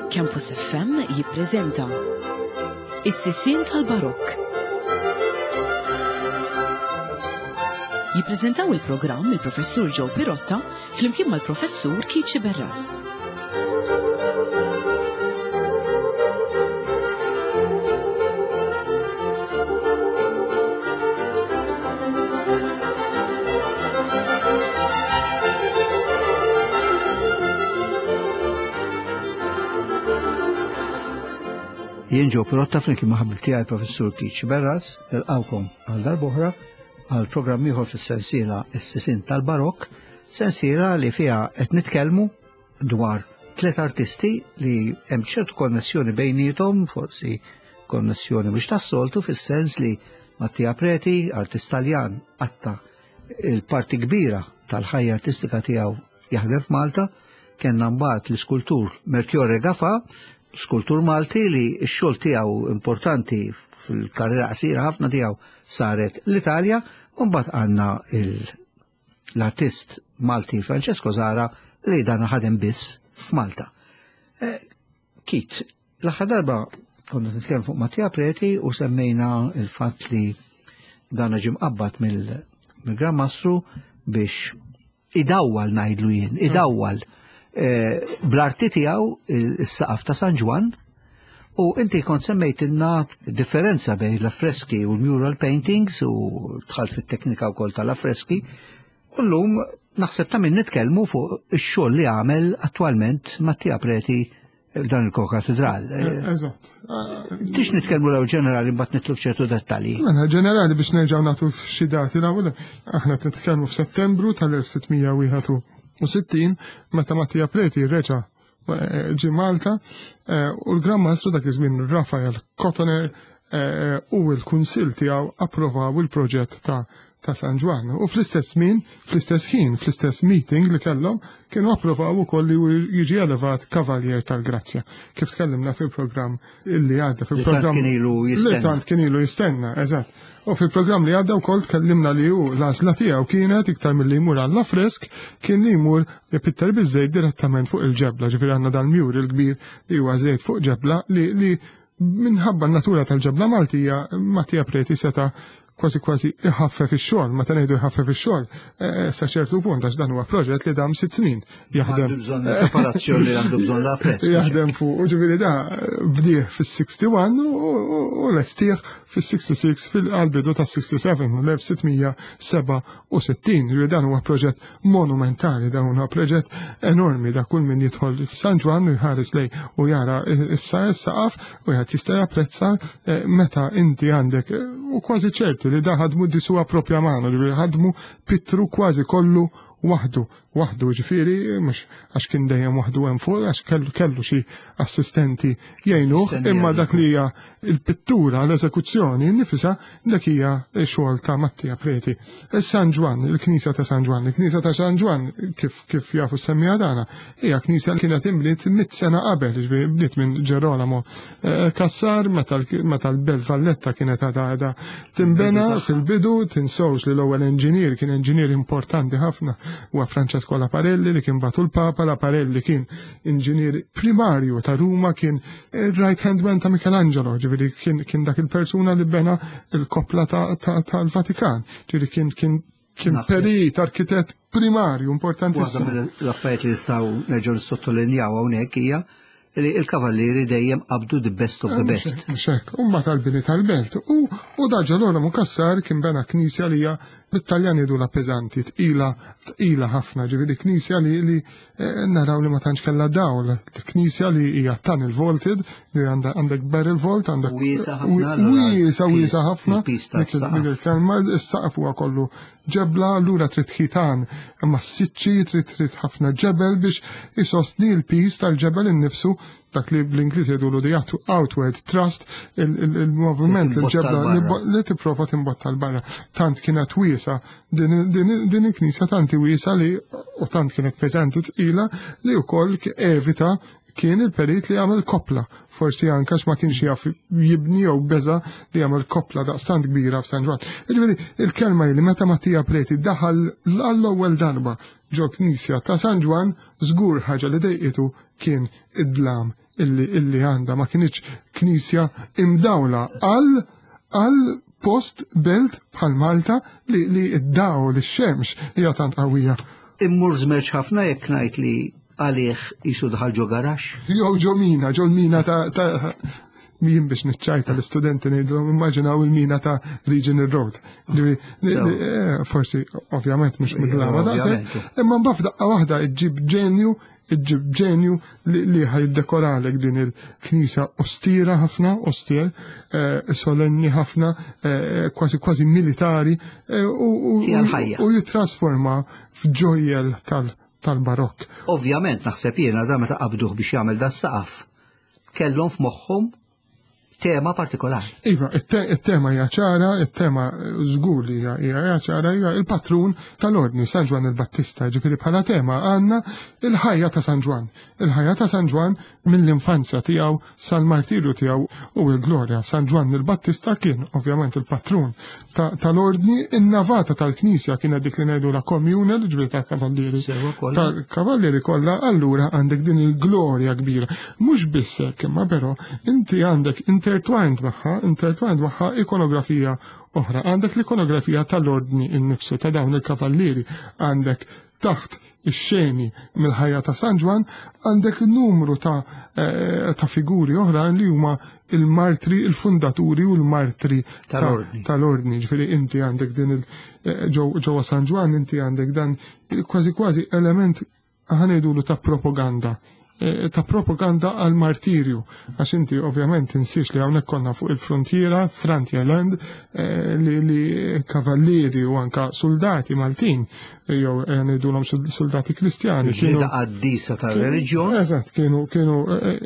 Campus FM jippreżenta Is-Sisien tal-Barokk. Jippreżentaw il-programm il-Professur Joe Pirotta flimkien mal-Professur Keith Sciberras. Jien Joe Pirotta flimkien ma' ħabib tiegħi Professur Keith Sciberras, nilqgħukom għal darb'oħra għal programm ieħor fis-sensiela Is-Sisien tal-Barokk, sensiela li fiha qed nitkellmu dwar tlet artisti li hemm ċertu konnessjoni bejniethom, forsi konnessjoni mhux tas-soltu fis-sens li Mattia Preti, artist Taljan, qatta il-parti kbira tal-ħajja artistika tiegħu jaħdem f'Malta, kellna mbagħad l-iskultur Melchiorre Gafà, skultur Malti li x-xogħol tiegħu importanti fil-karriera qasira ħafna tiegħu saret l-Italja, u mbagħad għandna l-artist Malti Francesco Zahra li dan ħadem biss f'Malta. Eh, Kit, l-aħħar darba konna nitkellmu fuq Mattia Preti u semmejna il-fatt li dan ġie mqabbad mill-Gran Mastru biex idawwal ngħidlu jien, idawwal eh, bl-arti tiegħu is-saqaf ta' San Ġwann u inti kont semmejtilna differenza bejn l-affreski u l-mural paintings u dħalt fit-teknika wkoll tal-affreski u llum naħseb ta' min nitkellmu fuq ix-xogħol li għamel attwalment Mattia Preti f'dan il-kokatedral. Eh, eżatt. Tix nitkellmu l ġenerali mbagħad nitlu f'ċertu dettalji. Mela ġenerali biex nerġgħu nagħtu xi dati l-ewwel aħna qed nitkellmu f'Settembru tal-1661 meta Mattia Preti reġa' eh, ġie Malta eh, u l-Gran Mastru dak iż-żmien Rafael Cotoner u l-Kunsill tiegħu approvaw il-proġett ta' ta' San Ġwann. U fl-istess żmien, fl-istess ħin, fl-istess meeting li kellhom, kienu approvaw ukoll li jiġi elevat Kavaljer tal-Grazzja. Kif tkellimna fil-programm illi għadda fil-programm. Li tant kien ilu jistenna. Li tant kien ilu jistenna, eżatt. U fil-programm li għadda wkoll tkellimna li hu l-għażla tiegħu kienet iktar milli jmur għall fresk kien li jmur ipitter biż-żejt direttament fuq il-ġebla, ġifieri għandna dal-mjur il-kbir li huwa żejt fuq ġebla li li minħabba n-natura tal-ġebla Maltija, Mattia Preti seta' kważi kważi iħaffef ix-xogħol, meta ngħidu jħaffef ix-xogħol, eh, sa ċertu punt għax dan huwa proġett li dam sitt snin jaħdem. Għandu bżonn preparazzjoni li għandu bżonn la fresk. Jaħdem fuq, u ġifieri da bdieħ fis-61 u lestih fis-66 fil-bidu tas-67 l-1667. Ġifieri dan huwa proġett monumentali, dan huwa proġett enormi da kull min jidħol f'San Ġwann u jħares lej u jara issa s-saqaf Wieħed jista' japprezza eh, meta inti għandek eh, u kważi ċerti li da ħadmu disuwa propja mano, li ħadmu pittru kważi kollu waħdu, waħdu ġifieri, mhux għax kien dejjem waħdu hemm fuq, għax kellu kellu xi assistenti jgħinuh, imma dak li hija il-pittura, l-eżekuzzjoni nifisha dak hija xogħol ta' Mattia Preti. San Ġwann, il-Knisja ta' San Ġwann, il-Knisja ta' San Ġwann kif kif jafu semmija dana, hija knisja li kienet inbniet mit sena qabel, ġifieri bniet minn Ġerolamo eh, Kassar meta l-Belt Valletta kienet għadha timbena fil-bidu, tinsewx li l-ewwel enġinier kien enġinier importanti ħafna huwa Francesco Laparelli li kien batu l-Papa, Laparelli kien inġinier primarju ta' Ruma, kien right hand man ta' Michelangelo, ġifieri kien dak il-persuna li bena il-koppla tal-Vatikan, ġifieri kien kien Kien perit, arkitett primarju importantissimo. Waħda mill-affarijiet li nistgħu nerġgħu nissottolinjaw hawnhekk hija li l-kavallieri dejjem qabdu the best of the eh, best. Xek, u mbagħad tal-bini tal-belt. U da Ġerolamo Kassar kien bena knisja li hija bit-Taljan jgħidulha peżanti, tqila, tqila ħafna, ġifieri knisja li li eh, naraw li ma tantx kellha dawl, knisja li hija tunnel vaulted, li għandek barrel vault, għandek wiesa ħafna, wiesa wiesa ħafna. Il-kelma is-saqaf huwa kollu ġebla, allura trid ħitan massiċċi, trid trid ħafna ġebel biex isostni l-pis tal-ġebel innifsu dak li bl-Ingliż jgħidulu the outward thrust, il-moviment il-ġebla li tipprova timbotta l-barra. Tant kienet wiesa din il-knisja tanti wiesa li u tant kienet peżanti tqila li wkoll evita kien il-perit li għamel koppla, forsi anke ma kienx jaf jibni jew beża li għamel koppla daqstant kbira f'San Ġwann. Jiġifieri il-kelma li meta Mattia Preti daħal għall-ewwel darba ġo knisja ta' San Ġwann żgur ħaġa li dejqitu kien id-dlam. illi għandha, ma kinitx knisja imdawla għal post belt bħal Malta li id-dawl ix-xemx hija tant qawwija. Immur żmerġ ħafna jekk ngħid li għalih jisu daħal ġo garax. Jew ġo mina, ġo l-mina ta' jien biex niċċajta l-istudenti ngħidulhom immaġinaw il-mina ta' Regional Road. Forsi ovvjament mhux midlama daqshekk, imma mbagħad f'daqqa waħda ġġib ġenju iġġib ġenju li ħajdekoralek din il-knisa ostira ħafna, ostier, solenni ħafna, kważi kważi militari, u jitrasforma f'ġojjel tal-barokk. Ovvjament naħseb jiena da meta qabduh biex jagħmel da saqaf kellhom f'moħħhom tema partikolari. Iva, it-tema hija ċara, it-tema żgur li hija ċara, hija il-patrun tal-Ordni San Ġwann il-Battista, ġifieri bħala tema għandna il-ħajja ta' San Ġwann. Il-ħajja ta' San Ġwann mill-infanzja tiegħu sal-martirju tiegħu u l-glorja. San Ġwann il-Battista kien ovvjament il-patrun tal-Ordni, in-navata tal-Knisja kienet dik li ngħidu la communal, ġifieri tal-kavallieri. Tal-kavallieri kollha, allura għandek din il-glorja kbira. Mhux biss hekk, imma però inti għandek intertwined magħha ikonografija oħra. Għandek l-ikonografija tal-Ordni innifsu ta' dawn il-kavallieri, għandek taħt ix-xeni mill-ħajja ta' San Ġwann, għandek numru ta' figuri oħra li huma il-martri, il-fundaturi u l-martri tal-ordni. Ġifieri inti għandek din ġewwa San Ġwann, inti għandek dan kważi kważi element ħanejdulu ta' propaganda. Ta' propaganda għal martirju, għax inti ovvjament tinsiex li hawnhekk konna fuq il-frontiera, Frontier Land, li kavallieri u anka soldati Maltin, jew ngħidulhom soldati Kristjani. Fil-ġlieda qaddisa tal-reliġjon. Eżatt, kienu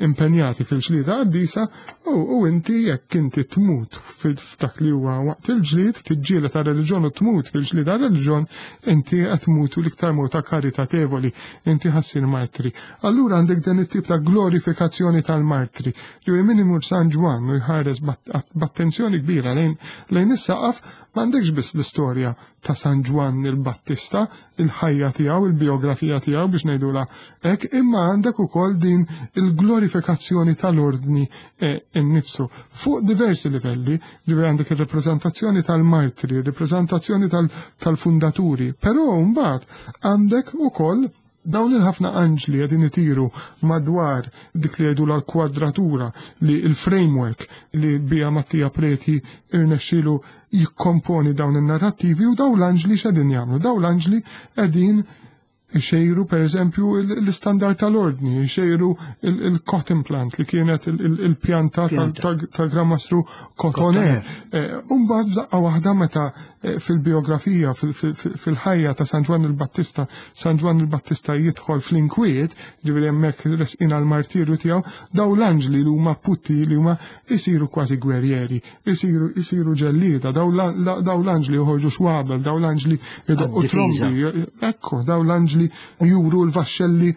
impenjati fil-ġlieda qaddisa u inti jekk inti tmut f'dak li huwa waqt il-ġlied, tiġġieled tar-reliġjon u tmut fil-ġlieda tar-reliġjon, inti qed tmut u l-iktar mota karitatevoli, inti ħassir martri. Allura għandek dan it-tip ta' glorifikazzjoni tal-martri. Ġifieri min imur San Ġwann u jħares b'attenzjoni kbira lejn is-saqaf, m'għandekx biss l-istorja ta' San Ġwann il-Battista, il-ħajja tiegħu, il-biografija tiegħu biex ngħidulha hekk, imma għandek ukoll din il-glorifikazzjoni tal-ordni innifsu fuq diversi livelli, ġifieri għandek ir-rappreżentazzjoni tal-martri, ir-rappreżentazzjoni tal-fundaturi, però mbagħad għandek ukoll dawn il-ħafna anġli qegħdin itiru madwar dik li jgħidu l-kwadratura, li il-framework li bija Mattia Preti irnexxielu jikkomponi dawn in-narrattivi, u dawn l-anġli x'qegħdin jagħmlu? Dawn l-anġli qegħdin ixejru per eżempju l-istandard tal-ordni, ixejru il-cotton plant li kienet il-pjanta tal-Gran Mastru Cotoner. Umbagħad f'daqqa waħda meta fil-biografija, fil-ħajja ta' San Ġwann il-Battista, San Ġwann il-Battista jidħol fl-inkwiet, ġifieri hemmhekk resqin għall-martirju tiegħu, daw l-anġli li huma putti li huma isiru kważi gwerrieri, isiru ġellieda, daw l-anġli joħorġu xwabel, daw l-anġli jdoqqu trombi, ekku, daw l-anġli juru l-vaxxelli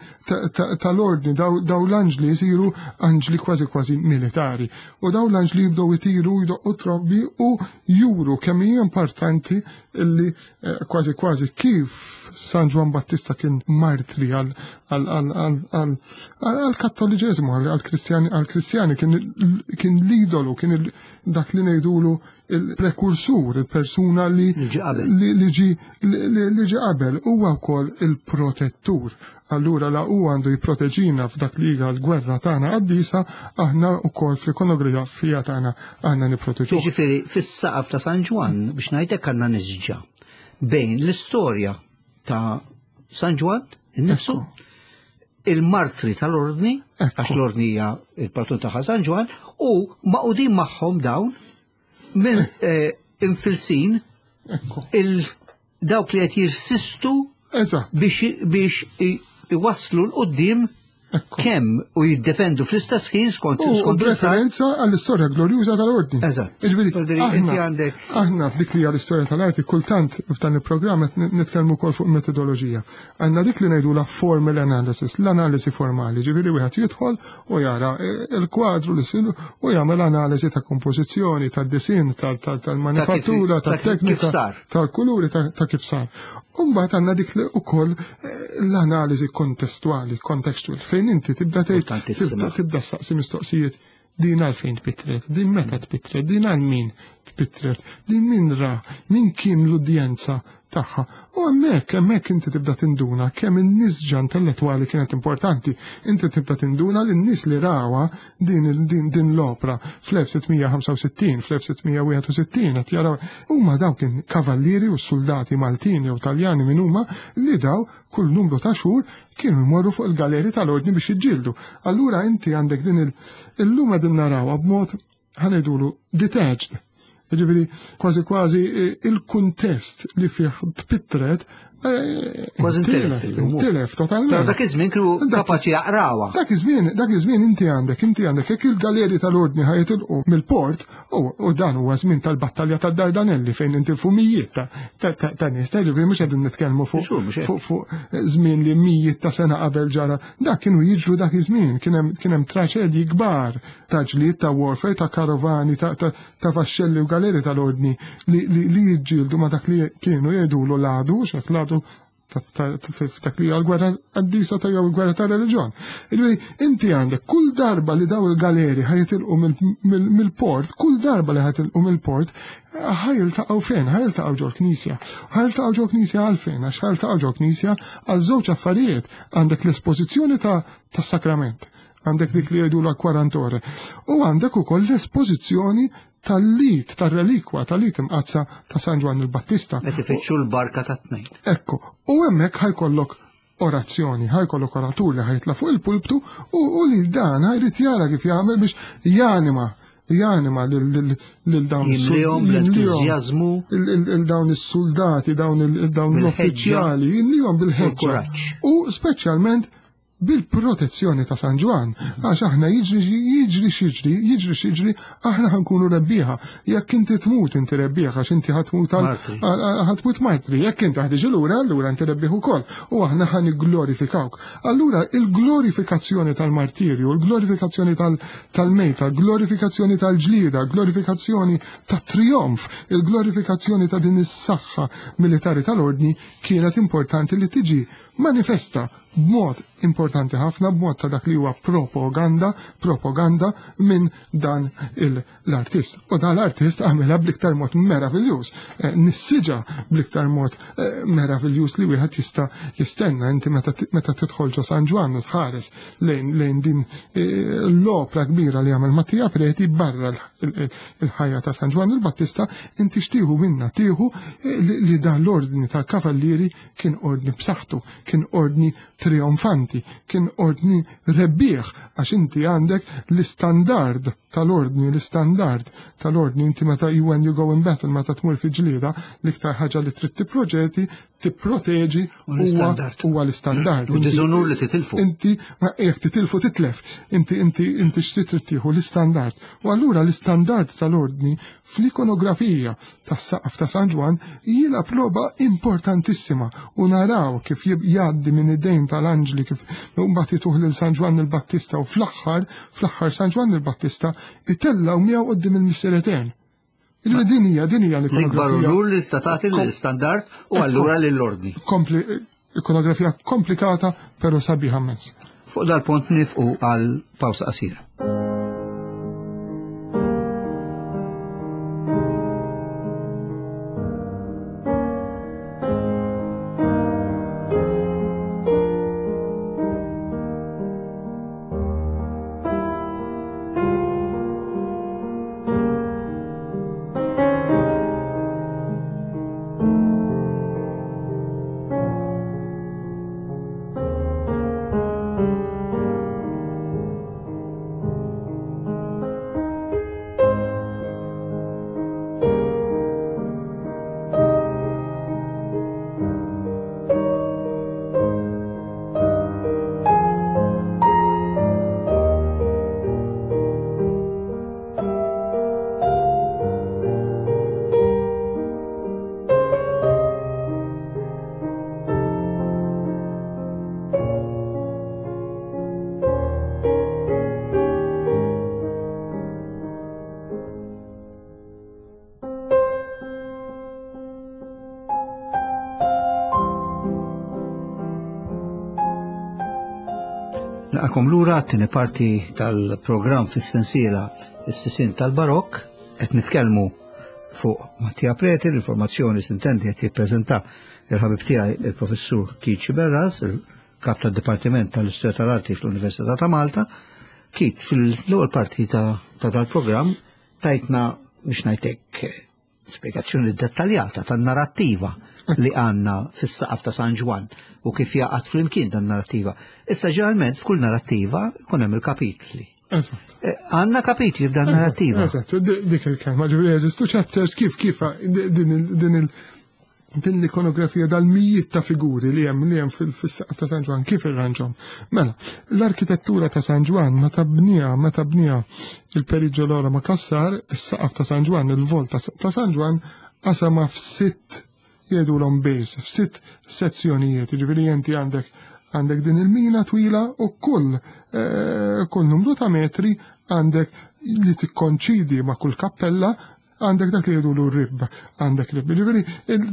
tal-ordni, daw l-anġli jisiru anġli kważi kważi militari. U daw l-anġli jibdew itiru, jdoqqu trombi u juru kemm hija importanti illi kważi kważi kif San Ġwann Battista kien martri għal-Kattoliċeżmu, għal-Kristjani, kien l-idolu, kien dak li ngħidulu il-prekursur, il-persuna li ġi qabel. Li ġi qabel, huwa wkoll il-protettur. Allura la u għandu jipproteġina f'dak li hija l-gwerra tagħna qaddisa, aħna wkoll fl-ikonografija tagħna aħna nipproteġuh. Jiġifieri fis-saqaf ta' San Ġwann biex ngħidlek għandna nisġa bejn l-istorja ta' San Ġwann innifsu, il-martri tal-ordni, għax l-ordni hija il-patron ta' San Ġwann, u maqudin magħhom dawn minn infilsin il-dawk li qed jirsistu biex iwasslu l-qudiem kemm u jiddefendu fl-istess ħin skont U skont l-istat. referenza għall-istorja glorjuża tal-ordni. Jiġifieri, Vuol dire, inti għandek aħna f'dik li hija l-istorja tal-arti kultant f'dan il-programm qed nitkellmu wkoll fuq metodoloġija. Għandna dik li ngħidulha formal analysis, l-analisi formali, ġifieri wieħed jidħol u jara il-kwadru li siru u jagħmel analiżi ta' kompożizzjoni, tad-disin, tal-manifattura, Ta' kif tat-teknika, sar. tal-kuluri, ta' kif sar. Umbagħad għandna dik li ukoll eh, l-analiżi kontestwali, contextual, fejn inti tibda tgħid tibda saqsi mistoqsijiet din għalfejn tpittret, din meta tpittret, din għal min tpittret, din min ra, min kien l-udjenza tagħha. U hemmhekk, hemmhekk inti tibda tinduna kemm in-nisġa intellettwali kienet importanti. Inti tibda tinduna li n-nies li rawa din, din, din l-opra fl-1665, fl-1661 qed jaraw huma dawk kien kavallieri u soldati Maltin jew Taljani minn huma li daw kull numru ta' xhur kienu jmorru fuq il-galeri tal-ordni biex jiġġieldu. Allura inti għandek din il-lum qegħdin narawha b'mod ħanejdulu detached. Ġifieri kważi kważi eh, il-kuntest li fih tpittret eh, Kważi ntilef Tilef totalment. Dak iż-żmien kienu kapaċi jaqrawha. Dak iż-żmien, dak iż-żmien inti għandek, inti għandek jekk il-galeri tal-ordni ħajitilqu mill-port, u dan huwa żmien tal-battalja tad-Dardanelli fejn intilfu mijiet ta' nies, ta' ġifieri mhux qegħdin nitkellmu fuq fuq żmien li mijiet ta' sena qabel ġara. Dak kienu jiġru dak iż-żmien, kien hemm traċedji kbar ta' ġlied ta' warfare, ta' karovani, ta' vaxxelli u galeri tal-ordni li jiġġieldu ma' dak li kienu jgħidulu l-għadu, xek l-għadu f'dak li għal-gwerra qaddisa ta' jew gwerra ta' reliġjon. Ġifieri inti għandek kull darba li daw il-galeri ħajitilqu mill-port, kull darba li ħajitilqu mill-port, ħajiltaqgħu fejn? Ħajiltaqgħu ġol knisja. Ħajiltaqgħu ġol knisja għalfejn? Għax ħajiltaqgħu ġol knisja għal żewġ affarijiet. Għandek l-espożizzjoni ta' sakrament għandek dik li jgħidu la kwarantore. U għandek ukoll l-espożizzjoni tal-lit, tal-relikwa, tal-lit imqazza ta' San Ġwann il-Battista. Qed ifittxu l-barka ta' tnejn. Ekku, u hemmhekk ħajkollok orazzjoni, ħajkollok oratur li ħajtla fuq il-pulptu u li dan ħajrid jara kif jagħmel biex janima janima lil dawn jimlihom l-entużjażmu lil dawn is-soldati, dawn l-uffiċjali, jimlihom bil-ħeġġa. U speċjalment bil-protezzjoni ta' San Ġwann, għax aħna jiġri jiġri x'jiġri, jiġri x'jiġri, aħna ħankunu rebbieħa. Jekk inti tmut inti rebbieħ għax inti ħatmut ħatmut martri, jekk inti ħtiġi lura, allura inti rebbieħ ukoll u aħna ħan glorifikawk. Allura il-glorifikazzjoni tal-martirju, il-glorifikazzjoni tal-mejta, il-glorifikazzjoni tal-ġlieda, il-glorifikazzjoni tat-trijonf, il-glorifikazzjoni ta' din is-saħħa militari tal-ordni kienet importanti li tiġi manifesta b'mod importanti ħafna, b'mod ta' dak li huwa propaganda, propaganda minn dan l-artist. U dan l-artist għamilha bl-iktar mod meraviljuż, eh, nissiġa bl-iktar mod eh, meraviljuż li wieħed jista' jistenna inti meta tidħol ġo San Ġwann u tħares lejn lejn din eh, l-opra kbira li għamel Mattia Preti barra il-ħajja ta' San Ġwann il-Battista, inti xtieħu minna tieħu li dan l-ordni tal-kavallieri kien ordni b'saħħtu, kien ordni trionfanti, kien ordni rebbieħ, għax inti għandek l-istandard tal-ordni, l-istandard tal-ordni, inti meta you when you go in battle, meta tmur fi ġlieda, l-iktar ħaġa li trid tipproġeti, tipproteġi huwa l-istandard. U diżonur li titilfu. Inti jekk titilfu titlef, inti inti inti x'trid trid tieħu l-istandard. U allura l-istandard tal-ordni fl-ikonografija tas-saqaf ta' San Ġwann jilgħab logħba importantissima u naraw kif jgħaddi minn idejn tal-anġli kif mbagħad jituh lil San Ġwann il-Battista u fl-aħħar fl-aħħar San Ġwann il-Battista itellgħu miegħu quddiem il-Missier Etern. Il din hija din hija l-ikbar unur li tista' tagħti lill-istandard u allura lill-ordni. Ikonografija komplikata però sabiħa mezz. Fuq dal-punt nifqu għal pawsa qasira. Nilqakom lura għat-tieni parti tal-programm fis-sensiela Is-Sisien tal-Barokk, qed nitkellmu fuq Mattia Preti, l-informazzjoni sintendi qed jippreżenta il-ħabib tiegħi il-Professur Keith Sciberras, il-Kap tad-Dipartiment tal-Istorja tal-Arti fl-Università ta' Malta. Keith, fil-ewwel parti ta' dal-programm tajtna biex ngħidlek spjegazzjoni dettaljata tan-narrattiva li għandna fis-saqaf ta' San Ġwann u kif jaqgħad flimkien dan narrattiva. Issa ġeneralment f'kull narrattiva jkun hemm il-kapitli. Eżatt. Eh, għandna kapitli f'dan narrattiva. Eżatt, dik il-kelma ġifieri jeżistu chapters kif kif din il din l-ikonografija dal-mijiet ta' figuri li hemm li hemm fis-saqaf ta' San Ġwann kif irranġhom. Mela, l-arkitettura ta' San Ġwann meta bniha meta bniha il-Perit Ġelora Makassar, is-saqaf ta' San Ġwann, il-volta ta' San Ġwann qasama f'sitt jgħidulhom base, f'sitt sezzjonijiet, jiġifieri inti għandek għandek din il-mina twila u kull eh, kull numru ta' metri għandek li tikkonċidi ma' kull kappella għandek dak li jgħidulu rib, għandek rib. Ġifieri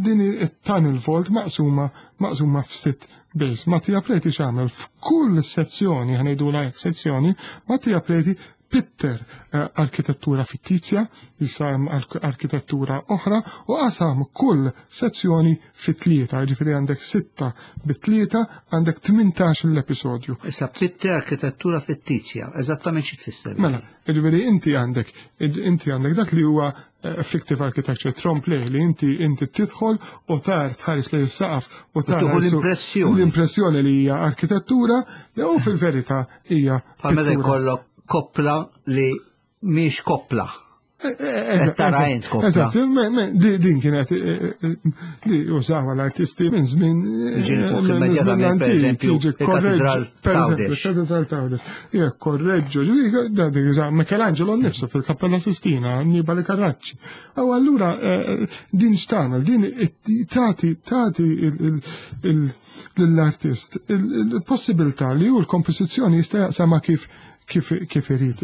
din it-tunnel vault maqsuma maqsuma f'sitt base. Mattia Preti x'għamel f'kull sezzjoni, ħanejdula hekk sezzjoni, Mattia Preti pitter eh, arkitettura fittizja, jisa hemm arkitettura oħra u qasam kull sezzjoni fit tlieta, ġifieri għandek sitta bit-tlieta, għandek 18 l-episodju. Issa pitter arkitettura fittizja, eżattament xi tfisser? Mela, Ġifieri inti għandek inti għandek dak li huwa eh, fictive architecture trompe li inti inti tidħol u tar tħares lejn is-saqaf u tar l-impressjoni. L-impressjoni li hija arkitettura li u fil-verità hija. Bħal meta jkollok koppla li mhix koppla. Eżatt, din kienet eh, eh, li użawa l-artisti minn żmien Ġieli fuq immedjatament, per eżempju, il-Katedral Katedral Tawdex. Jekk korreġġu, ġifieri jużaw Michelangelo nnifsu fil-Kappella Sistina, Annibale Carracci. U allura eh, din x'tagħmel, din tagħti tagħti lill-artist il-possibilità li hu l-kompożizzjoni jista' jaqsama kif kif irid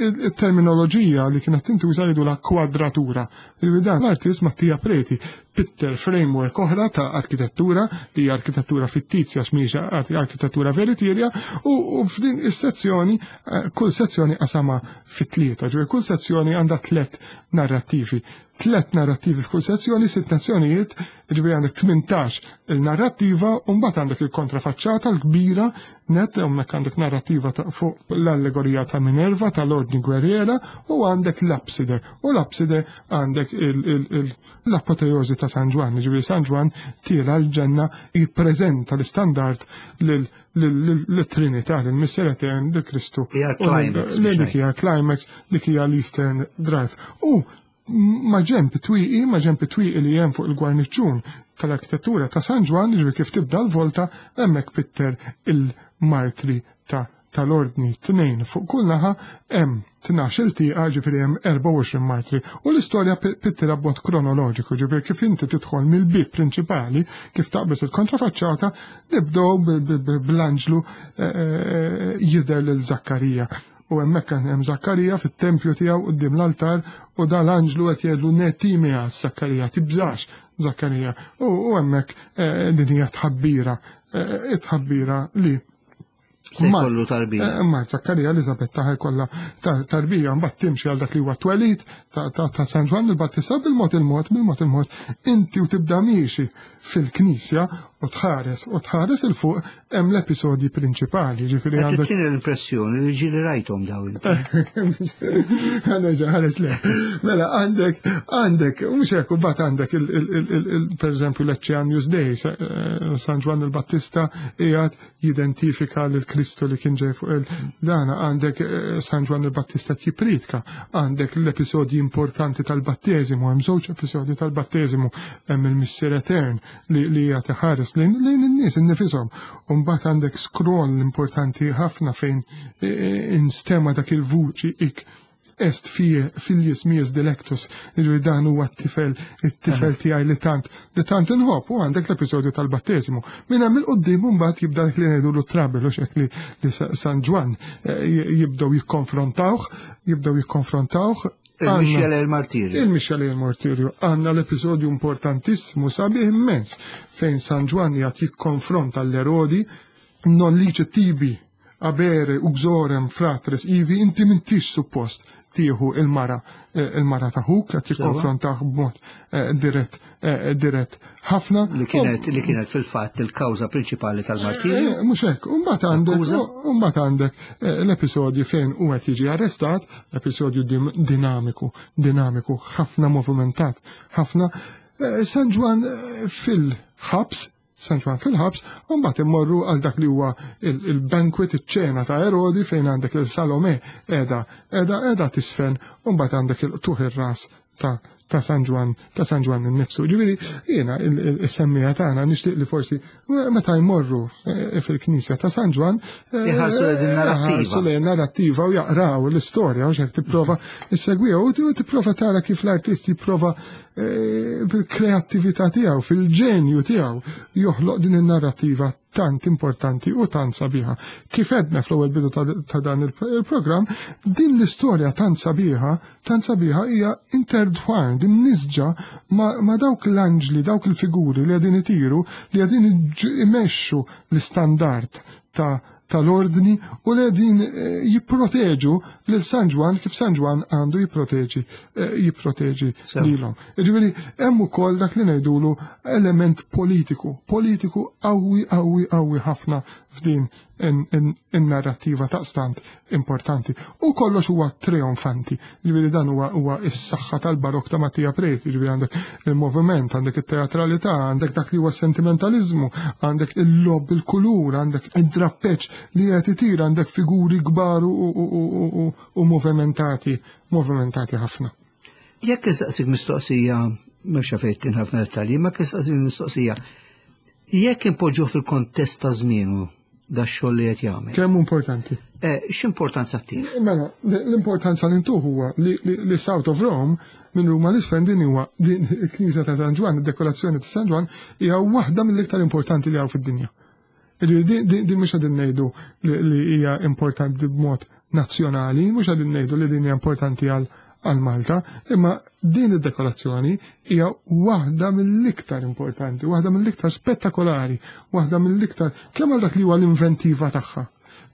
il-terminoloġija li kienet tintuża jgħidulha kwadratura. Il-bidan l-artist Mattia Preti pitter framework oħra ta' arkitettura li hija arkitettura fittizja x'mhix arkitettura veritiera u f'din is-sezzjoni eh, kull sezzjoni qasama fit-tlieta, ġifieri kull sezzjoni għandha tliet narrattivi. Tliet narrattivi f'kull sezzjoni, sitt nazzjonijiet, ġifieri għandek 18 il-narrattiva u mbagħad għandek il-kontrafaċċata l-kbira net hemmhekk għandek narrattiva ta' fuq l-allegorija ta' Minerva tal-Ordni Gwerriera u għandek l-apside. U l-apside għandek l-apoteosi ta' San Ġwann, ġifieri San Ġwann tiela l-ġenna jippreżenta l-istandard lil-Trinità, lill-Missier Etern, lil Kristu. Hija climax. Dik hija climax, dik hija l-Eastern Drive. U ma' ġenb it-twieqi, ma' ġenb it-twieqi li hemm fuq il-gwarniċċun tal-arkitettura ta' San Ġwann, jiġifieri kif tibda l-volta, hemmhekk pitter il-martri ta' tal-ordni tnejn fuq kull naħa hemm 12-il tieqa ġifieri hemm 24 martri. U l-istorja pittira b'mod kronoloġiku, ġifieri kif inti tidħol mill-bieb prinċipali, kif taqbeż il-kontrafaċċata, nibdew bl-anġlu eh, eh, jidher lil Zakkarija. U hemmhekk hemm Zakkarija fit-tempju tiegħu quddiem l-altar u dan l-anġlu qed jgħidlu netimija Zakkarija, tibżax Zakkarija. U hemmhekk eh, din hija tħabbira, eh, tħabbira li Kollu tarbija. Eh, ma Zakkarija Elizabetta ħajkollha tarbija mbagħad timxi għal dak li huwa twelid ta' San Ġwann il-Battista bil-mod il-mod, bil-mod il-mod, inti u tibda miexi fil-knisja u tħares u tħares il fuq hemm l-episodji prinċipali, ġifieri għandek. Kien l-impressjoni li ġieli rajthom dawn. Għanerġa' ħares le. Mela għandek għandek mhux hekk u bat għandek pereżempju l-Eċċean Dei, eh, San Ġwann il-Battista qiegħed jidentifika lil Kristu li kien ġej fuq il-dana, għandek eh, San Ġwann il-Battista jipritka, għandek l-episodji importanti tal-batteżimu, hemm żewġ episodji tal-batteżimu, hemm il-Missier Etern li li hija ħares lejn in-nies innifisom. U mbagħad għandek scroll importanti ħafna fejn eh, eh, instema dak il-vuċi ik est fie filius mias delectus, li dan huwa t-tifel, it-tifel tiegħi li tant li tant inħobb u għandek l-episodju tal-batteżimu. Minn hemm il-qudiem mbagħad jibda dak li ngħidu trabel u xek li San Ġwann eh, jibdew jikkonfrontawh, jibdew jikkonfrontawh Il-Mixjele il-Martirju. Il-Mixjele il-Martirju. Għanna l-episodju importantissimu sabiħ immens fejn San Ġwann jgħat jikkonfronta l-Erodi non liċe tibi. Abere uxorem fratres ivi, inti m'intix suppost tieħu il-mara il-mara ta' ħuk, qed jikkonfrontah b'mod dirett dirett ħafna. Li kienet li kienet fil-fatt il-kawża prinċipali tal-martirju. Mhux hekk, u mbagħad għandek u mbagħad għandek l-episodju fejn hu qed jiġi arrestat, episodju dinamiku, dinamiku, ħafna movimentat, ħafna. San Ġwann fil-ħabs, San Ġwann fil-ħabs, u mbagħad immorru għal dak li huwa il-banquet, iċ-ċena ta' Erodi fejn għandek il-Salome qiegħda qiegħda qiegħda tisfen, u mbagħad għandek il-qtugħ ir-ras ta' ta' San Ġwann, ta' San Ġwann innifsu. Ġifieri jiena is-semmija tagħna nixtieq li forsi meta jmorru fil-Knisja ta' San Ġwann iħarsu lejn in-narrattiva. Iħarsu lejn narrattiva u jaqraw l-istorja u x'hekk tipprova issegwiha u tipprova tara kif l-artist jipprova bil-kreattività tiegħu, fil-ġenju tiegħu joħloq din in-narrattiva tant importanti u tant sabiħa. Kif edna fl-ewwel bidu ta' dan il-programm, din l-istorja tant sabiħa, tant sabiħa hija intertwined, imnisġa ma' dawk l-anġli, dawk il-figuri li qegħdin itiru, li qegħdin imexxu l-istandard tal-ordni u li qegħdin jipproteġu lil San Ġwann kif San Ġwann għandu jipproteġi lilhom. Jiġifieri hemm ukoll dak li ngħidulu element politiku, politiku qawwi, qawwi, qawwi ħafna f'din in-narrattiva taqstant importanti. U kollox huwa trionfanti. Jiġifieri dan huwa s-saħħa tal-barok ta' Mattia Preti, jiġifieri għandek il-moviment, għandek it-teatralità, għandek dak li huwa sentimentalizmu, għandek il-lob, il-kulur, għandek id-drappeċ li qed itir, għandek figuri kbar u movimentati ħafna. Jekk insaqsik mistoqsija, mhux fejn tinħafna dettalji, ma jekk insaqsik mistoqsija, jekk impoġġuh fil-kontest ta' żmienu da xogħol li qed jagħmel. Kemm importanti? X'importanza tih? Mela, l-importanza li ntuh huwa li South of Rome minn Ruma l-isfel din huwa din il-Knisja ta' San Ġwann, id-dekorazzjoni ta' San Ġwann hija waħda mill-iktar importanti li hawn fid-dinja. Jiġifieri din mhux qegħdin ngħidu li hija importanti b'mod nazzjonali, mhux qegħdin ngħidu li din hija importanti għal Malta, imma din id-dekorazzjoni hija waħda mill-iktar importanti, waħda mill-iktar spettakolari, waħda mill-iktar kemm għal dak li huwa l-inventiva tagħha,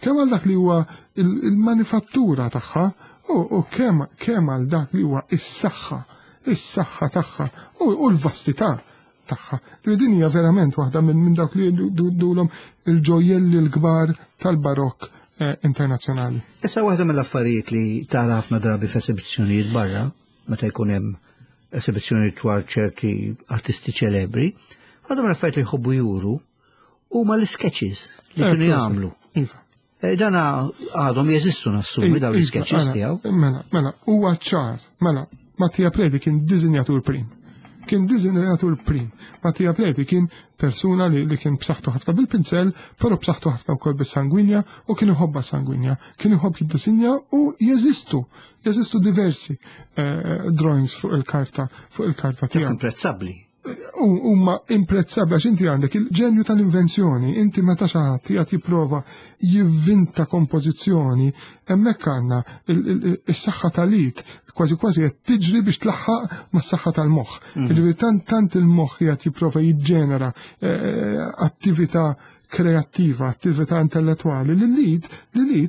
kemm għal dak li huwa il-manifattura tagħha, u kemm għal dak li huwa is-saħħa, is-saħħa tagħha u l-vastità tagħha. Li din hija verament waħda minn dawk li dulhom il-ġojjelli l-kbar tal-barokk internazzjonali. Issa waħda mill-affarijiet li tara ħafna drabi f'esibizzjonijiet barra, meta jkun hemm esibizzjonijiet dwar ċerti artisti ċelebri, waħda mill-affarijiet li jħobbu juru huma l-sketches li kienu jagħmlu. Dana għadhom jeżistu nassumi dawn l-sketches tiegħu. Mela, mela, huwa ċar, mela, Mattia Preti kien disinjatur prim. Kien disinjatur prim. Mattia Preti kien persuna li kien b'saħħtu ħafna bil-pinsel, però b'saħħtu ħafna wkoll bis-sangwinja u kien iħobbha sangwinja. Kien iħobb jiddisinja u jeżistu diversi drawings fuq il-karta tiegħu. Imprezzabbli. Huma imprezzabbli għax inti għandek il-ġenju tal-invenzjoni, inti meta xi ħadd qiegħed jipprova jivvinta kompożizzjoni, hemmhekk għandna is-saħħa tal-id kważi kważi qed tiġri biex tlaħħaq mas-saħħa tal-moħħ. Jiġifieri tant il-moħħ qiegħed jipprova jiġġenera attività kreattiva, attività intellettwali li l-id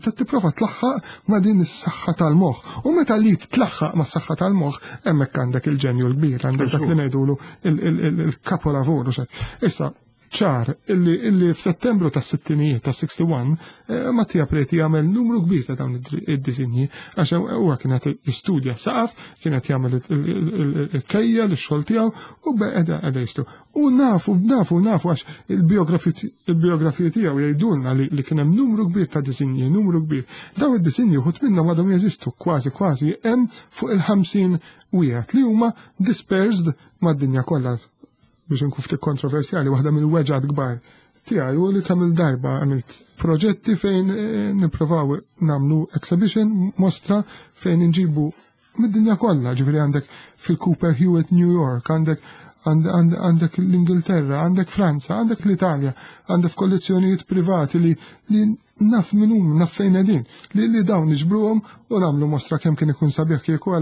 qed tipprova tlaħħaq ma' din is-saħħa tal-moħħ. U meta l-id tlaħħaq ma' saħħa tal-moħħ, hemmhekk għandek il-ġenju l-kbir, għandek dak li ngħidulu il-kapolavur u xek. Issa, ċar illi f'Settembru tas-sittinijiet ta' 61 Mattia Preti jagħmel numru kbir ta' dawn id-disinji għax huwa kien qed jistudja saqaf, kien qed jagħmel il-kejja l-xogħol tiegħu u qiegħda jistu. U nafu, nafu, nafu għax il-biografiji tiegħu jgħidulna li kien hemm numru kbir ta' disinji, numru kbir. Dawn id-disinji wħud minnhom għadhom jeżistu kważi kważi hemm fuq il-50 wieħed li huma dispersed mad-dinja kollha. Biex nkun ftit kontroversjali, waħda mill-weġgħat kbar tiegħi u li kemm il-darba għamilt proġetti fejn nipprovaw nagħmlu exhibition, mostra fejn inġibu mid-dinja kollha, ġifieri għandek fil-Cooper Hewitt New York, għandek l-Ingilterra, għandek Franza, għandek l-Italja, għandek kollezzjonijiet privati li naf minn hum, naf fejn qegħdin, li dawn niġbruhom u nagħmlu mostra kemm kien ikun sabiħ kieku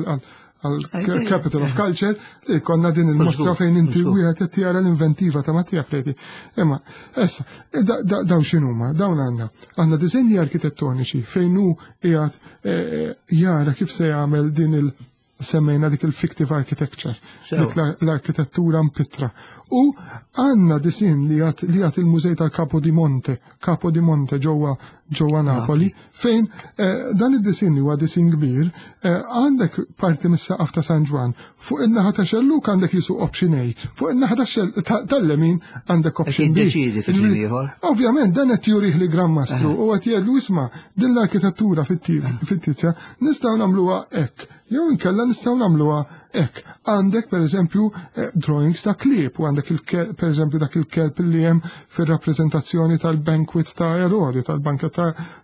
għal Capital of Culture li konna din il-mostra fejn inti wieħed qed jara l-inventiva ta' Mattia Preti. Imma issa e, dawn x'inhuma? Dawn għandna għandna diżenji arkitettoniċi fejn hu qiegħed e, e, jara kif se jagħmel din il- semmejna dik il-fictive architecture, dik l-arkitettura mpittra. U għanna disin li għat li għat il-mużej tal-Capo di Monte, Capo di Monte ġewwa ġewwa Napoli, fejn eh, dan id-disin li huwa disin kbir, eh, għandek parti mis-saqaf ta' San Ġwan, fuq in-naħa ta' xelluk għandek jisu option A, fuq in-naħa tal-lemin għandek option B. Ovvjament dan qed jurih li Gran Mastru eh. u qed jgħidlu isma' din l-arkitettura fit-tizja nistgħu nagħmluha hekk. Jew inkella nistgħu nagħmluha hekk. Għandek pereżempju eh, drawings ta' klieb u għandek pereżempju dak il-kelb li hemm fir-rappreżentazzjoni tal-banquet ta' Erodi, tal-banket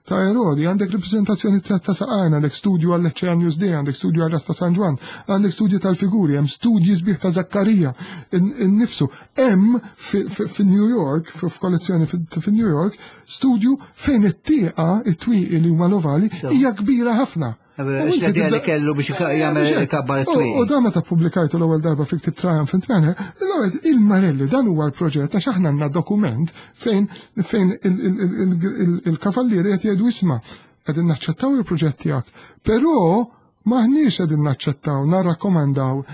ta' Erodi, għandek rappreżentazzjoni ta' saqajn, għandek studju għall Ecce News Day, għandek studju għal Rasta San Ġwan, għandek studju tal-figuri, hemm studji sbieħ ta' Zakkarija innifsu. Hemm fi-New York, f'kollezzjoni fi-New York, studju fejn it-tieqa, it-twieqi li huma l-ovali, hija kbira ħafna. L-idea li kellu biex jagħmel kabbar it-twieqi. U dan meta pubblikajtu l-ewwel darba fi ktib Triumphant Manner, l-ewwel il-Marelli dan huwa l-proġett għax aħna għandna dokument fejn fejn il-kavallieri qed jgħidu isma' qegħdin naċċettaw il-proġett tiegħek, però maħniex qegħdin naċċettaw, narrakkomandaw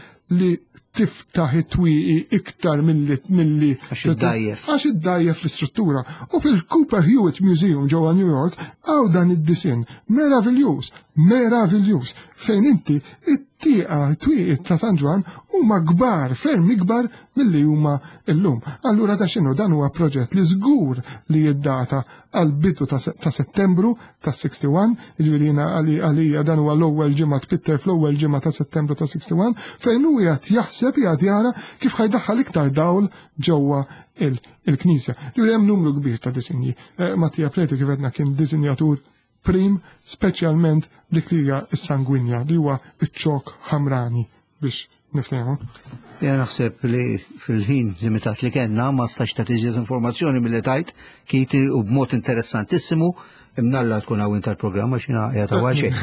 li tiftaħ it-twieqi iktar milli milli għax iddajjef. Għax iddajjef l-istruttura. U fil-Cooper Hewitt Museum ġewwa New York hawn dan id-disinn meraviljuż, meraviljuż fejn inti it-tieqa twieqi ta' San Ġwann huma kbar, ferm ikbar milli huma llum. Allura da x'inhu dan huwa proġett li żgur li jiddata għal bidu ta' Settembru ta' 61, jiġifieri jiena għalija dan huwa l-ewwel ġimgħa tpitter fl-ewwel ġimgħa ta' Settembru ta' 61, fejn hu qiegħed jaħseb qiegħed jara kif ħajdaħħal iktar dawl ġewwa il-knisja. Jiġifieri hemm numru kbir ta' disinji. Eh, Mattia Preti kif għedna kien disinjatur prim, speċjalment dik li hija s-sangwinja li huwa iċ-ċok ħamrani biex niftehmu. Ja naħseb li fil-ħin limitat li kellna ma stax ta' iżjed informazzjoni milli tajt kiti u b'mod interessantissimu imnalla tkun hawn tal-programma xina qiegħed hawn xejn.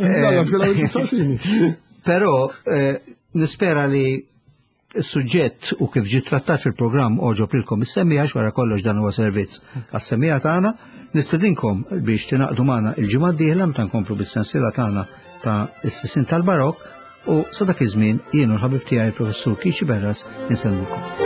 Imnalla tkun hawn sasini. Però eh, nispera li Is-suġġett u kif ġie trattat fil-programm għoġob lilkom is-semmiegħa għax wara kollox dan huwa servizz għas-semmiegħa tagħna. Nistedinkom biex tingħaqdu magħna il-ġimgħa d-dieħla meta nkomplu bis-sensiela tagħna ta' is-sisin tal-Barokk u sa dak iż-żmien jien u l-ħabib tiegħi il-Professur Kiċi Berras insellmukom.